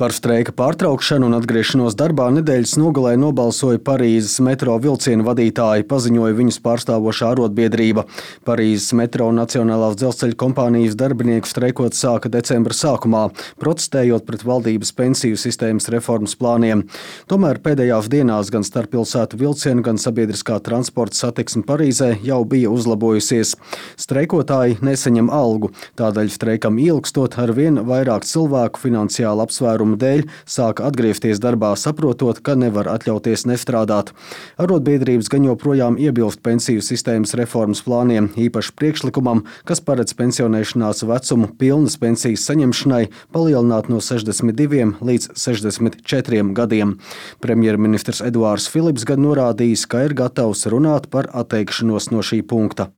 Par streika pārtraukšanu un atgriešanos darbā nedēļas nogalē nobalsoja Parīzes metro vilcienu vadītāji, paziņoja viņus pārstāvošā arotbiedrība. Parīzes metro un Nacionālās dzelzceļa kompānijas darbinieku streikot sāka decembra sākumā, protestējot pret valdības pensiju sistēmas reformas plāniem. Tomēr pēdējās dienās gan starppilsētu vilcienu, gan sabiedriskā transporta satiksme Parīzē jau bija uzlabojusies. Streikotāji nesaņem algu, tādēļ streikam ilgstot arvien vairāk cilvēku finansiāli apsvērumu dēļ sāka atgriezties darbā, saprotot, ka nevar atļauties nestrādāt. Arotbiedrības gan joprojām iebilst pensiju sistēmas reformas plāniem, īpaši priekšlikumam, kas paredz pensionēšanās vecumu pilnas pensijas saņemšanai palielināt no 62 līdz 64 gadiem. Premjerministrs Eduards Filips gan norādījis, ka ir gatavs runāt par atteikšanos no šī punkta.